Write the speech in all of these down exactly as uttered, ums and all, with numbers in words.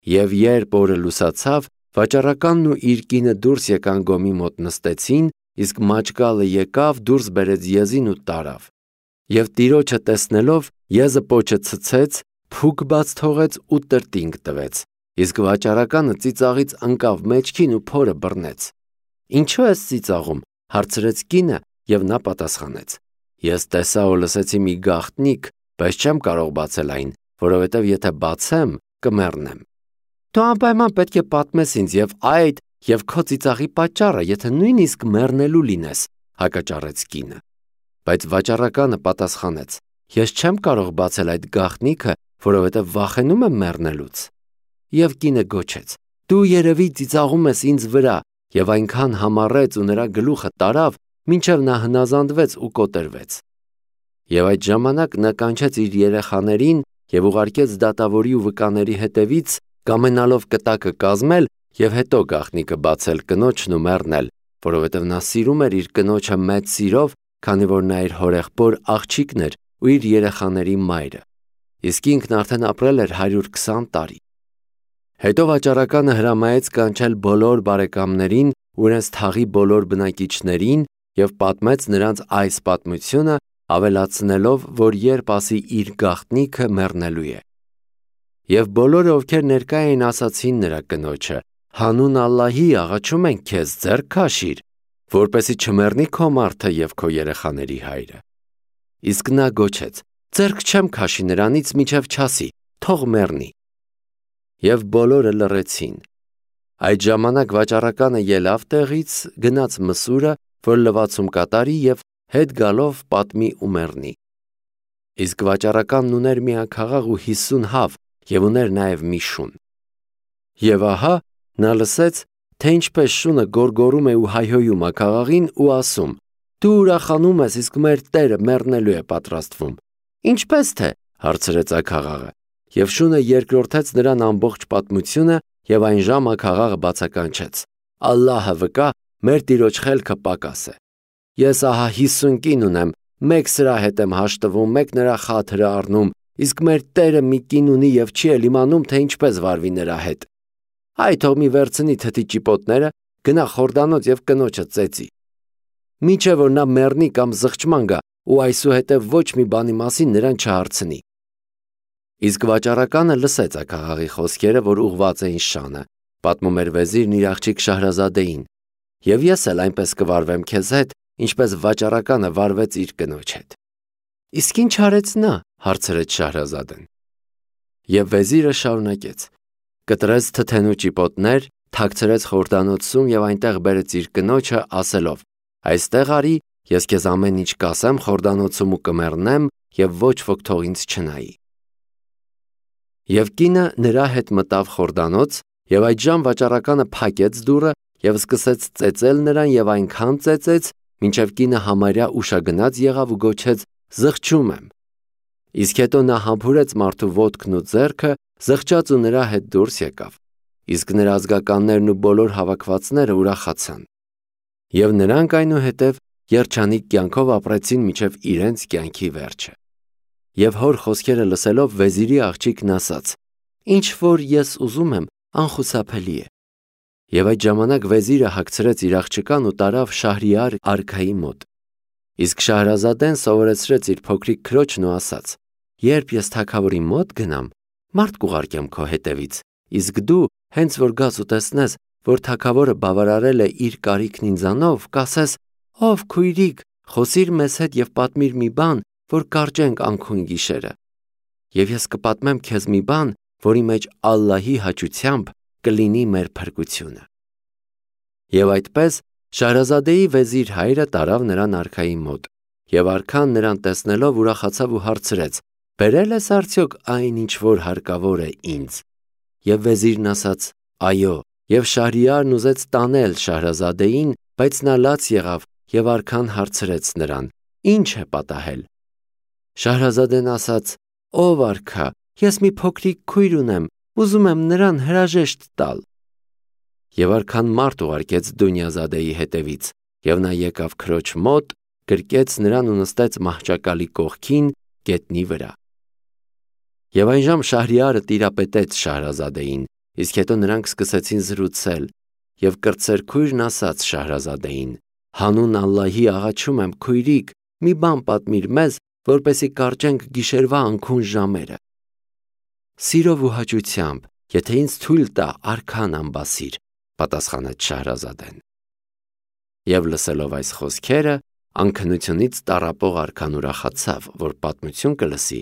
Եվ երբ օրը լուսացավ, վաճառականն ու իր կինը դուրս եկան գոմի մոտ նստեցին, իսկ մաճկալը եկավ, դուրս բերեց եզին ու տարավ։ Եվ տիրոջը տեսնելով, եզը պոչը ցցեց, փուք բաց թողեց ու տրտինգ տվեց, իսկ վաճառականը ծիծաղից ընկավ մեջքին ու փորը բռնեց։ Ինչո՞ւ ես ծիծաղում, հարցրեց կինը, եւ նա պատասխանեց. Ես տեսա ու լսեցի մի գաղտնիք, բայց չեմ կարող բացել այն, որովհետև եթե բացեմ, կմեռնեմ։ Դու անպայման պետք է պատմես ինձ եւ այդ եւ քո ծիծաղի պատճառը, եթե նույնիսկ մեռնելու լինես, հակաճառեց կինը։ Բայց վաճառականը պատասխանեց. Ես չեմ կարող բացել այդ գաղտնիքը, որովհետև վախենում եմ մեռնելուց։ Եվ կինը գոչեց. Դու երևի ծիծաղում ես ինձ վրա, եւ այնքան համառեց ու նրա գլուխը տարավ, մինչև նա հնազանդվեց ու կոտերվեց։ Եվ այդ ժամանակ նա կանչեց իր երեխաներին եւ ուղարկեց դատավորի ու վկաների հետևից, կամենալով կտակը կազմել եւ հետո գաղտնիքը բացել կնոջն ու մեռնել, որովհետև նա սիրում էր իր կնոջը մեծ սիրով, քանի որ նա իր հորեղբոր աղջիկն էր ու իր երեխաների մայրը։ Իսկ ինքն արդեն ապրել էր հարյուր քսան տարի։ Հետո վաճառականը հրամայեց կանչել բոլոր բարեկամներին ու իրենց թաղի բոլոր բնակիչներին եւ պատմեց նրանց այս պատմությունը, ավելացնելով, որ երբ ասի իր գաղտնիքը մեռնելու է։ Եվ բոլորը, ովքեր ներկա էին, ասացին նրա կնոջը. Հանուն Ալլահի աղաչում ենք քեզ, ձեռք քաշիր, որպեսզի չմեռնի քո մարդը եւ քո երեխաների հայրը։ Իսկ նա գոչեց. Ձեռք չեմ քաշի նրանից, մինչև չասի, թող մեռնի։ Եվ բոլորը լռեցին։ Այդ ժամանակ վաճառականը ելավ տեղից, գնաց մսուրը, որ լվացում կատարի եւ հետ գալով պատմի ու մեռնի։ Իսկ վաճառականն ուներ մի աքաղաղ ու հիսուն հավ եւ ուներ նաեւ մի շուն։ Եվ ահա նա լսեց, թե ինչպես շունը գորգորում է ու հայհոյում աքաղաղին ու ասում. Դու ուրախանում ես, իսկ մեր Տերը մեռնելու է պատրաստվում։ Ինչպես թե, հարցրեց աքաղաղը։ Եվ շունը երկրորդեց նրան ամբողջ պատմությունը եւ այն ժամ աքաղաղը բացականչեց. Ալլահը վկա, մեր տիրոջ խելքը պակաս է։ Ես ահա հիսուն կին ունեմ, մեկ սրա հետ եմ հաշտվում, մեկ նրա խաթրը առնում, իսկ մեր Տերը մի կին ունի եւ չի էլ իմանում, թե ինչպես վարվի նրա հետ։ Այ թող մի վերցնի թթի ճիպոտները, գնա Խորդանոց եւ կնոջը ծեծի։ Միչե որ նա մեռնի կամ զղջման գա ու այսուհետև ոչ մի բանի մասին նրան չհարցնի։ Իսկ վաճառականը լսեց աքաղաղի խոսքերը, որ ուղված էին շանը, պատմում էր վեզիրն իր աղջիկ Շահրազադեին, եւ ես էլ այնպես կվարվեմ քեզ հետ, ինչպես վաճառականը վարվեց իր կնոջ հետ։ Իսկ ինչ արեց նա, հարցրեց Շահրազադեն։ Եվ վեզիրը շարունակեց. կտրեց թթենու ճիպոտներ, թաքցրեց Խորդանոցում եւ այնտեղ բերեց իր կնոջը, ասելով. այստեղ արի, ես քեզ ամեն ինչ կասեմ Խորդանոցում ու կմեռնեմ եւ ոչ ոք թող ինձ չնայի։ Եվ կինը նրա հետ մտավ Խորդանոց, եւ այդժամ վաճառականը փակեց դուռը եւ սկսեց ծեծել նրան եւ այնքան ծեծեց, մինչև կինը համարյա ուշագնաց եղավ ու գոչեց. զղջում եմ։ Իսկ հետո նա համբուրեց մարդու ոտքն ու ձեռքը, զղջաց ու նրա հետ դուրս եկավ։ Իսկ նրա ազգականներն ու բոլոր հավաքվածները ուրախացան։ Եվ նրանք այնուհետև երջանիկ կյանքով ապրեցին մինչև իրենց կյանքի վերջը։ Եվ հոր խոսքերը լսելով վեզիրի աղջիկն ասաց. Ինչ որ ես ուզում եմ, անխուսափելի է։ Եվ այդ ժամանակ վեզիրը հագցրեց իր աղջկան ու տարավ Շահրիար արքայի մոտ։ Իսկ Շահրազադեն սովորեցրեց իր փոքրիկ քրոջն ու ասաց. Երբ ես թագավորի մոտ գնամ, մարդ կուղարկեմ քո հետևից, իսկ դու հենց որ գաս ու տեսնես, որ թագավորը բավարարել է իր կարիքն ինձանով, կասես. ով քույրիկ, խոսիր մեզ հետ եւ պատմիր մի բան, որ կարճենք անքուն գիշերը։ Եվ ես կպատմեմ քեզ մի բան, որի մեջ Ալլահի հաճությամբ կլինի մեր փրկությունը։ Եվ այդպես Շահրազադեի վեզիր հայրը տարավ նրան արքայի մոտ, եւ արքան նրան տեսնելով ուրախացավ ու հարցրեց. Բերել ես արդյոք այն, ինչ որ հարկավոր է ինձ։ Եվ վեզիրն ասաց. այո, եւ Շահրիարն ուզեց տանել Շահրազադեին, բայց նա լաց եղավ եւ արքան հարցրեց նրան. Ինչ է պատահել։ Շահրազադեն ասաց. ով արքա, ես մի փոքրիկ քույր ունեմ, ուզում եմ նրան հրաժեշտ տալ։ Եվ արքան մարդ ուղարկեց Դունյազադեի հետևից, եւ նա եկավ քրոջ մոտ, գրկեց նրան ու նստեց մահճակալի կողքին գետնի վրա։ Եվ այնժամ Շահրիարը տիրապետեց Շահրազադեին իսկ հետո նրանք սկսեցին զրուցել, և կրտսեր քույրն ասաց Շահրազադեին. «Հանուն Ալլահի աղաչում եմ, քույրիկ, մի բան պատմիր մեզ, որպեսզի կարճենք գիշերվա անքուն ժամերը»։ «Սիրով ու հաճությամբ, եթե ինձ թույլ տա արքան անբասիր», պատասխանեց Շահրազադեն։ Եվ լսելով այս խոսքերը, անքնությունից տառապող արքան ուրախացավ, որ պատմություն կլսի,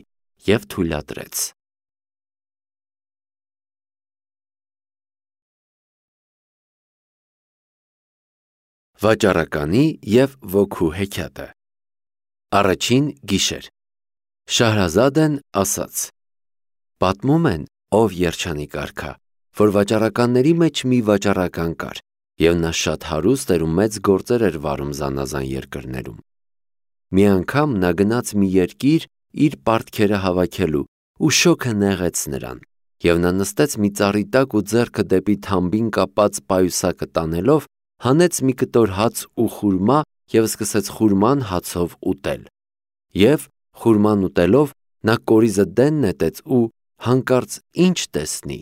և թույլատրեց։ Վաճառականի և ոգու հեքիաթը։ Առաջին գիշեր։ Շահրազադեն ասաց. Պատմում են, ով երջանիկ արքա, որ վաճառականների մեջ մի վաճառական կար, և նա շատ հարուստ էր ու մեծ գործեր էր վարում զանազան երկրներում։ Մի անգամ նա գնաց մի երկիր իր պարտքերը հավաքելու, ու շոգը նեղեց նրան, և նա նստեց մի ծառի տակ ու ձեռքը դեպի թամբին կապած պայուսակը տանելով, հանեց մի կտոր հաց ու խուրմա և սկսեց խուրման հացով ուտել։ Եվ խուրման ուտելով նա կորիզը դեն նետեց ու հանկարծ ինչ տեսնի։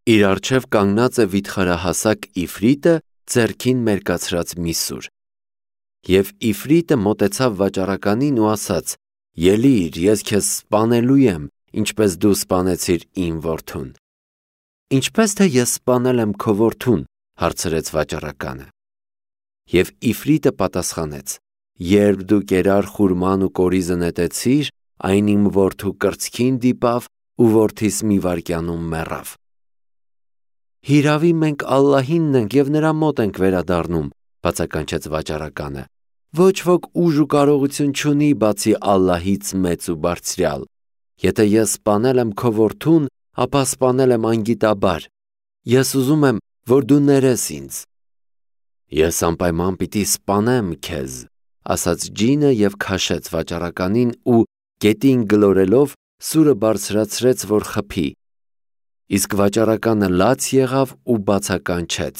Իր առջև կանգնած է վիթխարահասակ Իֆրիտը ձեռքին մերկացրած մի սուր։ Եվ Իֆրիտը մոտեցավ վաճառականին ու ասաց. «Ելիր, ես քեզ սպանելու եմ, ինչպես դու սպանեցիր իմ որդուն»։ «Ինչպես թե ես սպանել եմ քո որդուն», հարցրեց վաճառականը։ Եվ Իֆրիտը պատասխանեց. «Երբ դու կերար խուրման ու կորիզը նետեցիր, այն իմ որդու կրծքին դիպավ ու որդիս մի վայրկյանում մեռավ»։ «Հիրավի մենք Ալլահինն ենք և նրա մոտ ենք վերադառնում», բացականչեց վաճառականը։ «Ոչ ոք ուժ ու կարողություն չունի, բացի Ալլահից մեծ ու բարձրյալ։ Եթե ես սպանել եմ քո որդուն, ապա սպանել եմ անգիտաբար։ Ես ուզում եմ, որ դու ներես ինձ»։ «Ես անպայման պիտի սպանեմ քեզ», ասաց ջինը և քաշեց վաճառականին ու գետին գլորելով սուրը բարձրացրեց, որ խփի։ Իսկ վաճառականը լաց եղավ ու բացականչեց.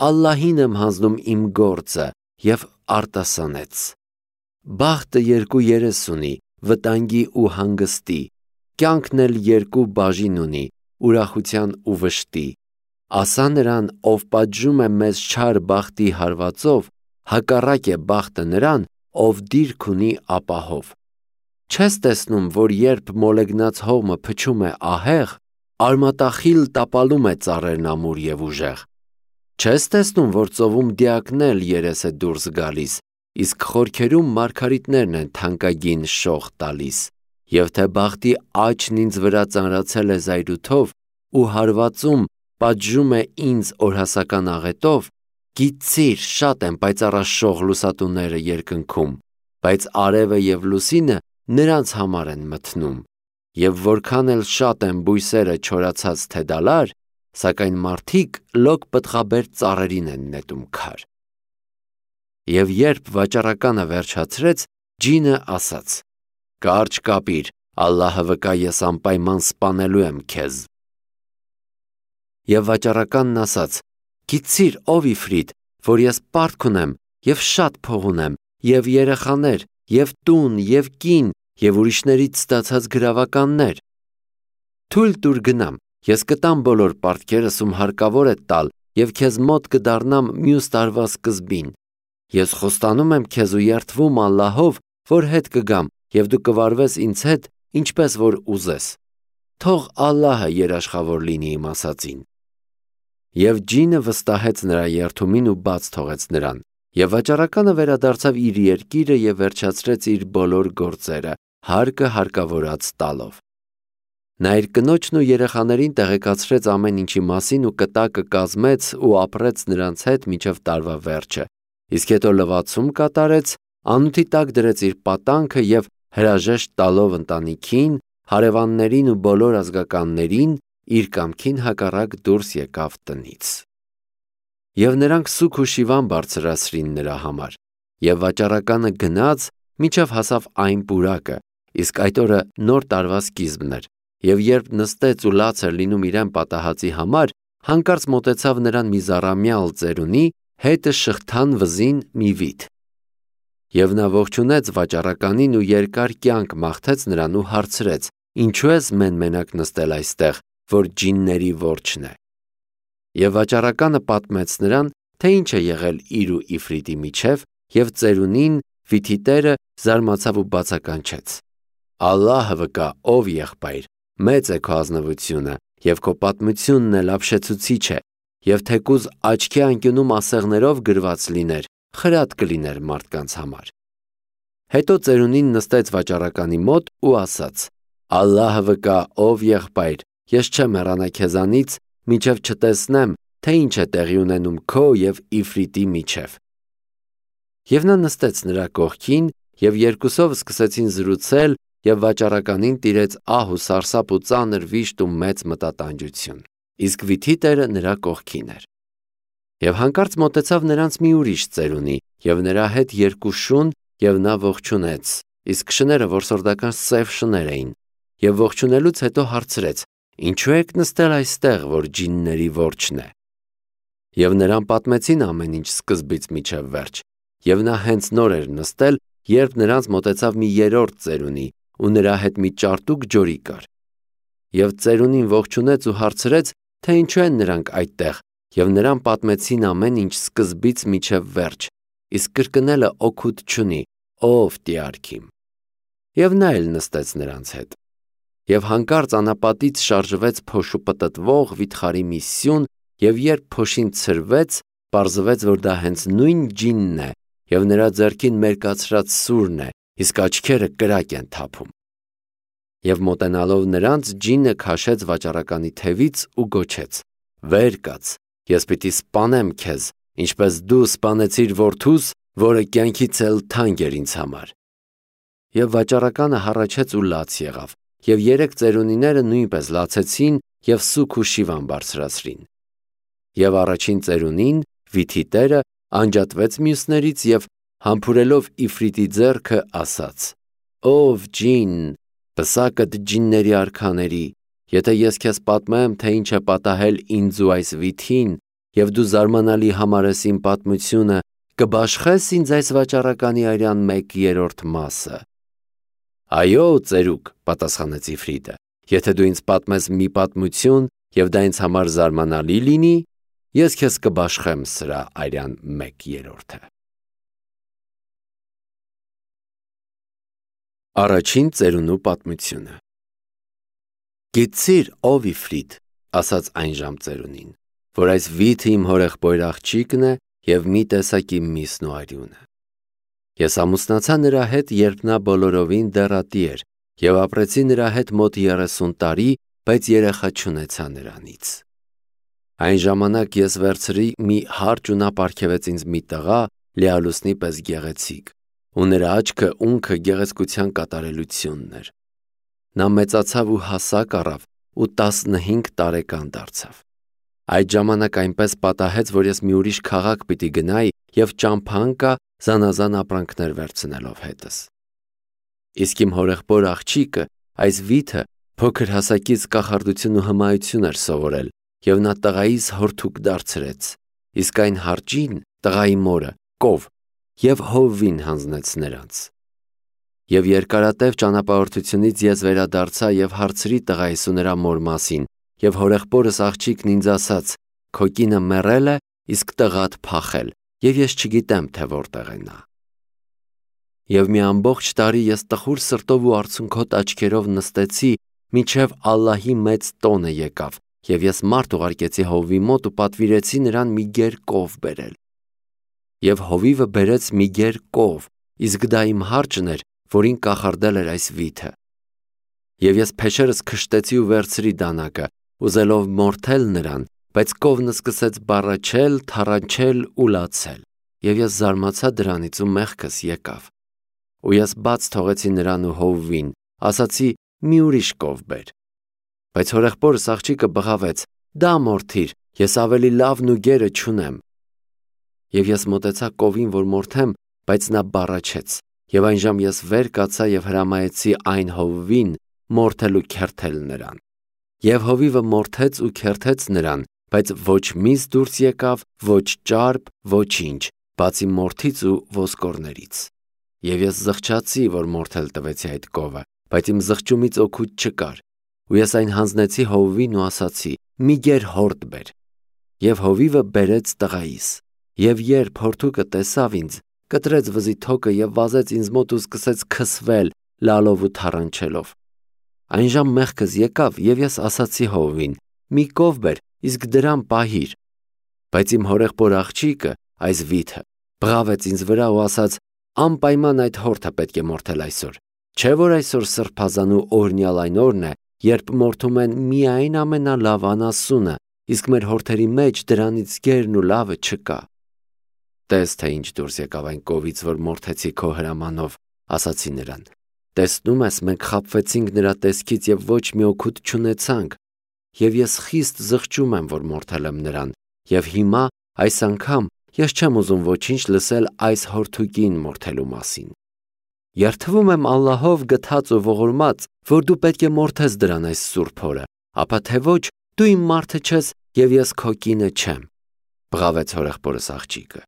«Ալլահին եմ հանձնում իմ գործը» և արտասանեց. «Բախտը երկու երես ունի, վտանգի ու հանգստի, կյանքն էլ երկու բաժին ունի, ուրախության ու վշտի։ Ասա նրան, ով պատժում է մեզ չար բախտի հարվածով, հակառակ է բախտը նրան, ով դիրք ունի ապահով։ Չես տեսնում, որ երբ մոլեգնած հողմը փչում է ահեղ, արմատախիլ տապալում է ծառերն ամուր և ուժեղ։ Չես տեսնում, որ ծովում դիակն էլ երես է դուրս գալիս, իսկ խորքերում մարգարիտներն են թանկագին շող տալիս, և թե բախտի աճն ինձ վրա ծանրացել է զայրույթով ու հարվածում պատժում է ինձ օրհասական աղետով, գիտցիր, շատ են պայծառաշող լուսատուները երկնքում, բայց արևը և լուսինը նրանց համար են մթնում, և որքան էլ շատ են բույսերը չորացած թե դալար, սակայն մարդիկ լոկ պտղաբեր ծառերին են նետում քար»։ Եվ երբ վաճառականը վերջացրեց, ջինը ասաց. «Կարճ կապիր, Ալլահը վկա, ես անպայման սպանելու եմ քեզ»։ Եվ վաճառականն ասաց. «Գիտցիր, ով Իֆրիտ, որ ես պարտք ունեմ և շատ փող ունեմ, և երեխաներ, և տուն, և կին, և ուրիշներից ստացած գրավականներ։ Թույլ տուր գնամ, ես կտամ բոլոր պարտքերս, ում հարկավոր է տալ, և քեզ մոտ կդառնամ մյուս տարվա սկզբին։ Ես խոստանում եմ քեզ ու երդվում Ալլահով, որ հետ կգամ, և դու կվարվես ինձ հետ, ինչպես որ ուզես։ Թող Ալլահը երաշխավոր լինի իմ ասածին»։ Եվ ջինը վստահեց նրա երդումին ու բաց թողեց նրան, և վաճառականը վերադարձավ իր երկիրը և վերջացրեց իր բոլոր գործերը, հարկը հարկավորած տալով։ Նա իր կնոջն ու երեխաներին տեղեկացրեց ամեն ինչի մասին ու կտակը կազմեց ու ապրեց նրանց հետ մինչև տարվա վերջը, իսկ հետո լվացում կատարեց, անութի տակ դրեց իր պատանքը և հրաժեշտ տալով ընտանիքին, հարևաններին ու բոլոր ազգականներին, իր կամքին հակառակ դուրս եկավ տնից։ Եվ նրանք սուգ ու շիվան բարձրացրին նրա համար, և վաճառականը գնաց, մինչև հասավ այն պուրակը, իսկ այդ օրը նոր տարվա սկիզբն էր, և երբ նստեց ու լաց էր լինում իրեն պատահածի համար, հանկարծ մոտեցավ նրան մի զառամյալ ծերունի, հետը շղթան վզին մի վիթ։ Եվ նա ողջունեց վաճառականին ու երկար կյանք մաղթեց նրան ու հարցրեց. «Ինչու ես մեն-մենակ նստել այստեղ, որ ջինների որջն է։ Եվ վաճառականը պատմեց նրան, թե ինչ է եղել իր ու Իֆրիտի միջև, և ծերունին վիթի տերը զարմացավ ու բացականչեց. Ալլահը վկա, ով եղբայր, մեծ է քո ազնվությունը, և քո պատմությունն էլ ապշեցուցիչ է, և թեկուզ աչքի անկյունում ասեղներով գրված լիներ, խրատ կլիներ մարդկանց համար։ Հետո ծերունին նստեց վաճառականի մոտ ու ասաց. Ալլահը վկա, ով եղբայր, ես չեմ հեռանա քեզանից, մինչև չտեսնեմ, թե ինչ է տեղի ունենում քո և Իֆրիտի միջև։ Եվ նա նստեց նրա կողքին, և երկուսով սկսեցին զրուցել, և վաճառականին տիրեց ահ ու սարսափ ու ծանր վիշտ ու մեծ մտատանջություն, իսկ վիթի տերը նրա կողքին էր։ Եվ հանկարծ մոտեցավ նրանց մի ուրիշ ծերունի, և նրա հետ երկու շուն, և նա ողջունեց, իսկ շները որսորդական սև շներ էին, և ողջունելուց հետո հարցրեց. Ինչու եք նստել այստեղ, որ ջինների որջն է։ Եվ նրան պատմեցին ամեն ինչ սկզբից մինչև վերջ, և նա հենց նոր էր նստել, երբ նրանց մոտեցավ մի երրորդ ծերունի, ու նրա հետ մի ճարտուկ ջորի կար։ Եվ ծերունին ողջունեց ու հարցրեց, թե ինչու են նրանք այդտեղ, և նրան պատմեցին ամեն ինչ սկզբից մինչև վերջ, իսկ կրկնելը օգուտ չունի, ով տիարք իմ։ Եվ նա էլ նստեց նրանց հետ։ Եվ հանկարծ անապատից շարժվեց փոշու պտտվող վիթխարի մի սյուն, և երբ փոշին ցրվեց, պարզվեց, որ դա հենց նույն ջինն է, և նրա ձեռքին մերկացրած սուրն է, իսկ աչքերը կրակ են թափում։ Եվ մոտենալով նրանց, ջինը քաշեց վաճառականի թևից ու գոչեց. Վեր կաց, ես պիտի սպանեմ քեզ, ինչպես դու սպանեցիր որդուս, որը կյանքից էլ թանկ էր ինձ համար։ Եվ վաճառականը հառաչեց ու լաց եղավ, և երեք ծերունիները նույնպես լացեցին և սուգ ու շիվան բարձրացրին։ Եվ առաջին ծերունին, վիթի տերը, անջատվեց մյուսներից և համբուրելով Իֆրիտի ձեռքը ասաց. Ով ջին, պսակդ ջինների արքաների, եթե ես քեզ պատմեմ, թե ինչ է պատահել ինձ ու այս վիթին, և դու զարմանալի համարես իմ պատմությունը, կբաշխե՞ս ինձ այս վաճառականի արյան մեկ երրորդ մասը։ Այո, ծերուկ, պատասխանեց Իֆրիտը, եթե դու ինձ պատմես մի պատմություն, և դա ինձ համար զարմանալի լինի, ես քեզ կբաշխեմ սրա արյան մեկ երրորդը։ Առաջին ծերունու պատմությունը։ Գիտցիր, ով Իֆրիտ, ասաց այն ժամ ծերունին, որ այս վիթը իմ հորեղբայր աղջիկն է և մի տեսակ իմ միսն ու արյունը։ Ես ամուսնացա նրա հետ, երբ նա բոլորովին դեռատի էր, և ապրեցի նրա հետ մոտ երեսուն տարի, բայց երեխա չունեցա նրանից։ Այն ժամանակ ես վերցրի մի հարճ ու նա պարգևեց ինձ մի տղա, լիալուսնի պես գեղեցիկ, ու նրա աչքը ունքը գեղեցկության կատարելությունն էր։ Նա մեծացավ ու հասակ առավ ու տասնհինգ տարեկան դարձավ։ Այդ ժամանակ այնպես պատահեց, որ ես մի ուրիշ քաղաք պիտի գնայի և ճամփա ընկա զանազան ապրանքներ վերցնելով հետս։ Իսկ իմ հորեղբոր աղջիկը, այս վիթը, փոքր հասակից կախարդություն ու հմայություն էր սովորել, և նա տղայիս հորթուկ դարձրեց, իսկ այն հարճին, տղայի մորը, կով, և հովվին հանձնեց նրանց։ Եվ երկարատև ճանապարհորդությունից ես վերադարձա և հարցրի տղայիս ու նրա մոր մասին, և հորեղբորս աղջիկն ինձ ասաց. քո կինը մեռել է, իսկ տղադ փախել, և ես չգիտեմ, թե որտեղ է նա։ Եվ մի ամբողջ տարի ես տխուր սրտով ու արցունքոտ աչքերով նստեցի, մինչև Ալլահի մեծ տոնը եկավ, և ես մարդ ուղարկեցի հովվի մոտ ու պատվիրեցի նրան մի գեր կով բերել։ Եվ հովիվը բերեց մի գեր կով, իսկ դա իմ հարճն էր, որին կախարդել էր այս վիթը։ Եվ ես փեշերս քշտեցի ու վերցրի դանակը, ուզելով մորթել նրան, բայց կովն սկսեց բառաչել, թառանչել ու լացել, և ես զարմացա դրանից ու մեղքս եկավ։ Ու ես բաց թողեցի նրան ու հովվին, ասացի մի ուրիշ կով բեր։ Բայց հորեղբորս աղջիկը բղավեց. դա մորթիր, ես ավելի լավն ու գերը չունեմ։ Եվ ես մոտեցա կովին, որ մորթեմ, բայց նա բառաչեց, և այնժամ ես վեր կացա և հրամայեցի այն հովվին մորթել ու քերթել նրան։ Եվ հովիվը մորթեց ու քերթեց նրան, բայց ոչ միս դուրս եկավ, ոչ ճարպ, ոչինչ, բացի մորթից ու ոսկորներից։ Եվ ես զղջացի, որ մորթել տվեցի այդ կովը, բայց իմ զղջումից օգուտ չկար։ ու ես այն հանձնեցի հովվին ու ասացի. մի գեր հորդ բեր։ Եվ հովիվը բերեց տղայիս։ Եվ երբ հորդուկը տեսավ ինձ, կտրեց վզի թոկը եւ վազեց ինձ մոտ ու սկսեց քսվել, լալով ու թառնչելով։ Այն ժամ մեղքս եկավ եւ ես ասացի հովվին. մի կով բեր, իսկ դրան պահիր։ Բայց իմ հորեղբոր աղջիկը, այս վիթը, բղավեց ինձ վրա ու ասաց. անպայման այդ հորթը պետք է մորթել այսօր։ Չէ՞ որ այսօր սրբազան ու օրհնյալ այն օրն է, երբ մորթում են միայն ամենալավ անասունը, իսկ մեր հորթերի մեջ դրանից գերն ու լավը չկա։ Տես, թե ինչ դուրս եկավ այն կովից, որ մորթեցի քո հրամանով, ասացի նրան։ Տեսնում ես, մենք խաբվեցինք նրա տեսքից եւ ոչ մի օգուտ չունեցանք։ Եվ ես խիստ զղջում եմ, որ մորթել եմ նրան, եւ հիմա այս անգամ ես չեմ ուզում ոչինչ լսել այս հորթուկին մորթելու մասին։ Երդվում եմ Ալլահով գթած ու ողորմած, որ դու պետք է մորթես դրան այս սուրբ օրը, ապա թե ոչ, դու իմ մարդը չես եւ ես քո կինը չեմ, բղավեց հորեղբորս աղջիկը։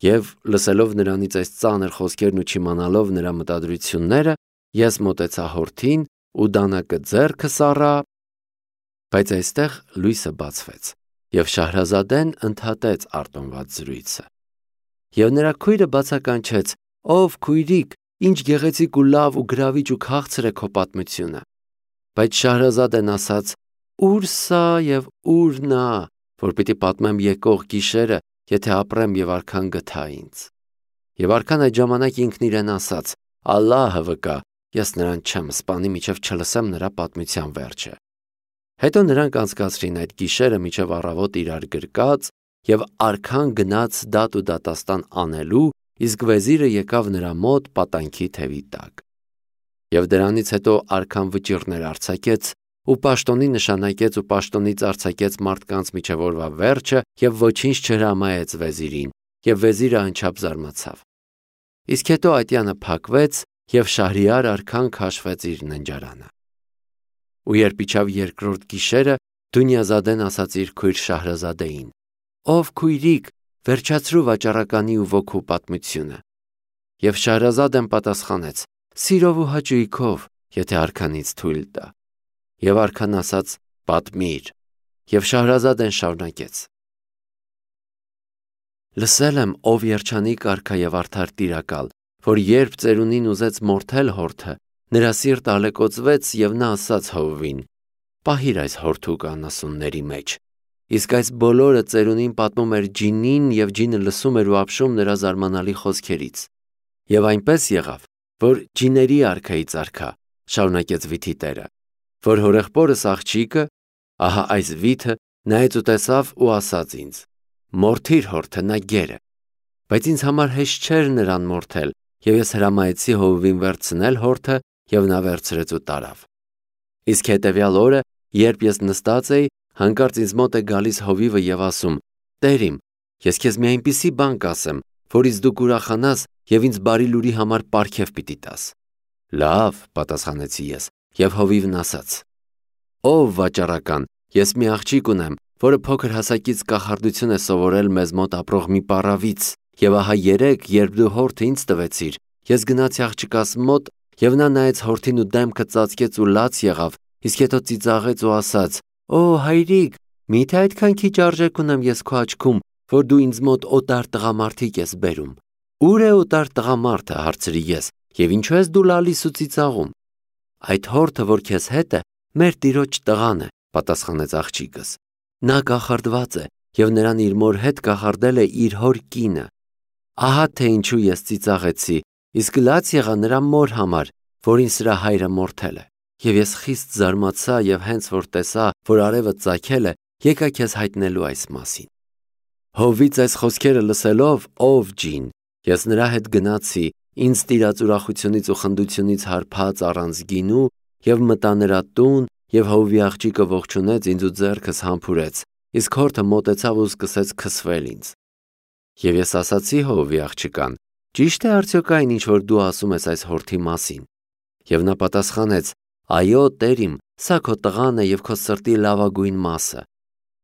Եվ լսելով նրանից այս ծանր խոսքերն ու չիմանալով նրա մտադրությունները, ես մոտեցա հորթին ու դանակը ձեռքս առա, բայց այստեղ լույսը բացվեց, եւ Շահրազադեն ընդհատեց արտոնված զրույցը։ Եվ նրա քույրը բացականչեց. ով քույրիկ, ինչ գեղեցիկ ու լավ ու գրավիչ ու քաղցր է քո պատմությունը։ Բայց Շահրազադեն ասաց. ուր սա եւ ուր նա, որ պիտի պատմեմ եկող գիշերը, եթե ապրեմ եւ արքան գթա ինձ։ Եվ արքան այդ ժամանակ ինքն իրեն ասաց. Ալլահը վկա, ես նրան չեմ սպանի, մինչև չլսեմ նրա պատմության վերջը։ Հետո նրանք անցկացրին այդ գիշերը մինչև առավոտ իրար գրկած, եւ արքան գնաց դատ ու դատաստան անելու, իսկ վեզիրը եկավ նրա մոտ պատանքի թևի տակ։ Եվ դրանից հետո արքան վճիռներ արձակեց ու պաշտոնի նշանակեց ու պաշտոնից արձակեց մարդկանց միջև օրվա վերջը եւ ոչինչ չհրամայեց վեզիրին, եւ վեզիրը անչափ զարմացավ։ Իսկ հետո ատյանը փակվեց եւ Շահրիար արքան քաշվեց իր ննջարանը։ Ու երբ իջավ երկրորդ գիշերը, Դունյազադեն ասաց իր քույր Շահրազադեին. ով քույրիկ, վերջացրու վաճառականի ու ոգու պատմությունը։ Եվ Շահրազադեն պատասխանեց. սիրով ու հաճույքով, եթե արքանից թույլ տա։ Եվ արքան ասաց. պատմիր։ Եվ Շահրազադեն շարունակեց. լսել եմ, ով երջանիկ արքա եւ արդար տիրակալ, որ երբ ծերունին ուզեց մորթել հորթը, նրա սիրտը ալեկոծվեց եւ նա ասաց հովվին. պահիր այս հորթուկը անասունների մեջ։ Իսկ այս բոլորը ծերունին պատմում էր ջինին եւ ջինը լսում էր ու ապշում նրա զարմանալի խոսքերից։ Եվ այնպես եղավ, որ ջիների արքայից արքա, շարունակեց վիթի տերը, որ հորեղբորս աղջիկը, ահա այս վիթը, նայեց ու տեսավ ու ասաց ինձ. մորթիր հորթը, նա գեր է։ Բայց ինձ համար հեշտ չէր նրան մորթել, եւ ես հրամայեցի հովվին վերցնել հորթը, եւ նա վերցրեց ու տարավ։ Իսկ հետեւյալ օրը, երբ ես նստած էի, հանկարծ ինձ մոտ է գալիս հովիվը եւ ասում. Տեր իմ, ես քեզ մի այնպիսի բան կասեմ, որից դու կուրախանաս եւ ինձ բարի լուրի համար պարգև պիտի տաս։ Լավ, պատասխանեցի ես, եւ հովիվն ասաց. ով վաճառական, ես մի աղջիկ ունեմ, որը փոքր հասակից կախարդություն է սովորել մեզ մոտ ապրող մի պարավից, եւ ահա երեկ, երբ դու հորթը ինձ տվեցիր, ես գնացի աղջկաս մոտ եւ նա նայեց հորթին ու դեմքը ծածկեց ու լաց եղավ, իսկ հետո ծիծաղեց ու ասաց. Օ հայրիկ, միթե այդքան քիչ արժեք ունեմ ես քո աչքում, որ դու ինձ մոտ օտար տղամարդիկ ես բերում։ Ուր է օտար տղամարդը, հարցրի ես, եւ ինչու ես դու լալիս ու ծիծաղում։ Այդ հորթը, որ քեզ հետ է, մեր տիրոջ տղան է, պատասխանեց աղջիկս։ Նա կախարդված է եւ նրան իր մոր հետ կախարդել է իր հոր կինը։ Ահա թե ինչու ես ծիծաղեցի, իսկ լաց եղա նրա մոր համար, որին սրա հայրը մորթել է։ Եվ ես խիստ զարմացա եւ հենց որ տեսա, որ արևը ծագել է, եկա քեզ հայտնելու այս մասին։ Հովից այս խոսքերը լսելով, ով ջին, ես նրա հետ գնացի, ինձ տիրած ուրախությունից ու խնդությունից հարբած առանց գինու եւ մտա նրա տուն եւ հովվի աղջիկը ողջունեց ինձ ու ձեռքս համբուրեց, իսկ հորթը մոտեցավ ու սկսեց քսվել ինձ։ Եվ ես ասացի հովվի աղջկան. ճիշտ է արդյոք այն, ինչ որ դու ասում ես այս հորթի մասին։ Եվ նա պատասխանեց. այո, տեր իմ, սա քո տղան է եւ քո սրտի լավագույն մասը։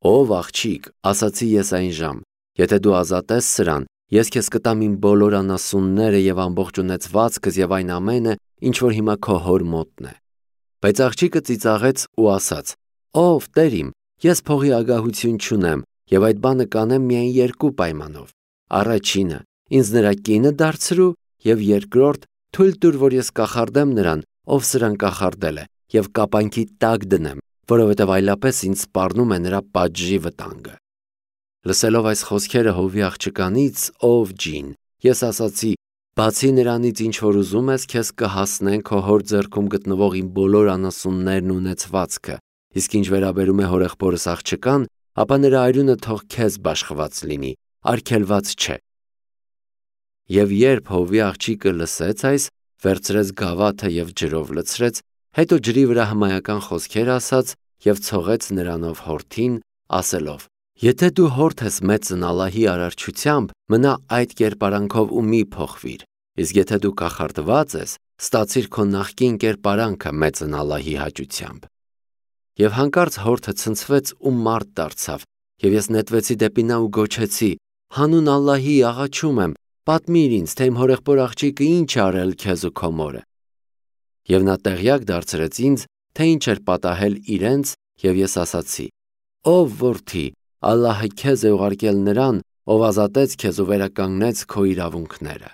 Ով աղջիկ, ասացի ես այն ժամ, եթե դու ազատես սրան, ես քեզ կտամ իմ բոլոր անասունները եւ ամբողջ ունեցվածքս եւ այն ամենը, ինչ որ հիմա քո հոր մոտն է։ Բայց աղջիկը ծիծաղեց ու ասաց. «Ով Տեր իմ, ես փողի ագահություն չունեմ եւ այդ բանը կանեմ միայն երկու պայմանով. առաջինը ինձ նրա կինը դարձրու եւ երկրորդ թույլ տուր, որ ես կախարդեմ նրան, ով սրան կախարդել է, եւ կապանքի տակ դնեմ, որովհետեւ այլապես ինձ սպառնում է նրա պատժի վտանգը»։ Լսելով այս խոսքերը հովի աղջկանից, ով ջին, ես ասացի. «Բացի նրանից, ինչ որ ուզում ես, քեզ կհասնեն քո հոր ձեռքում գտնվող իմ բոլոր անասուններն ու ունեցվածքը, իսկ ինչ վերաբերում է հորեղբորս աղջկան, ապա նրա արյունը թող քեզ բաշխված լինի, արգելված չէ»։ Եվ երբ հովի աղջիկը լսեց այս, վերցրեց գավաթը եւ ջրով լցրեց, հետո ջրի վրա հմայական խոսքեր ասաց եւ ցողեց նրանով հորթին, ասելով. «Եթե դու հորթ ես մեծն Ալլահի արարչությամբ, մնա այդ կերպարանքով ու մի փոխվիր, իսկ եթե դու կախարդված ես, ստացիր քո նախկին կերպարանքը մեծն Ալլահի հաճությամբ»։ Եվ հանկարծ հորթը ցնցվեց ու մարդ դարձավ, եւ ես նետվեցի դեպի նա ու գոչեցի. «Հանուն Ալլահի աղաչում եմ, պատմիր ինձ, թե իմ հորեղբոր աղջիկը ինչ է արել քեզ ու քո մորը»։ Եվ նա տեղյակ դարձրեց ինձ, թե ինչ էր պատահել իրենց, եւ ես ասացի. «Ով որդի, Ալլահը քեզ է ուղարկել նրան, ով ազատեց քեզ ու վերականգնեց քո իրավունքները»։